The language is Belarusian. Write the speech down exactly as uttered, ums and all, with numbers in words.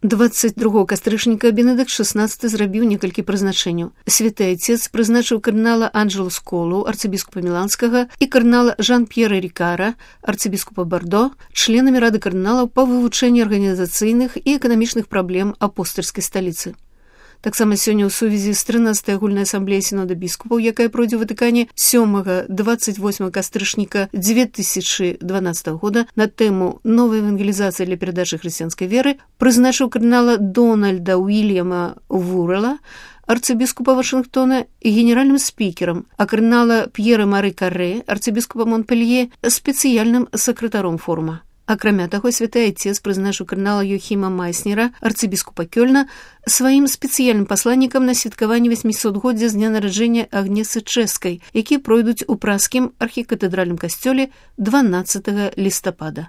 дваццаць другога кастрычніка Бенедыкт шаснаццаты зрабіў некалькі прызначэнняў. Святы Айцец прызначыў кардынала Анджело Сколу, арцыбіскупа Міланскага, і кардынала Жан-П'ера Рікара, арцыбіскупа Бардо, членамі рады кардыналаў па вывучэнні арганізацыйных і эканамічных праблем апостальскай сталіцы. Таксама сёння ў сувязі з трынаццатай агульнай асамблеяй сінода біскупаў, якая пройдзе ў Ватыкане сёмага дваццаць восьмага кастрычніка дзве тысячы дванаццатага года на тэму «Новая евангелізацыя для перадачы хрысціянскай веры», прызначыў кардынала Дональда Уильяма Вуррела, арцыбіскупа Вашынгтона, генеральным спікерам, а кардынала П'ера Мары Каррэ, арцыбіскупа Монпелье, спецыяльным сакратаром форума. Акрамя таго, святы Айцец прызначыў кардынала Йохіма Майснера, арцыбіскупа Кёльна, сваім спецыяльным пасланнікам на святкаванне васьмісотгоддзя з дня нараджэння Агнесы Чэшскай, якія пройдуць у праскім архікатэдральным касцёле дванаццатага лістапада.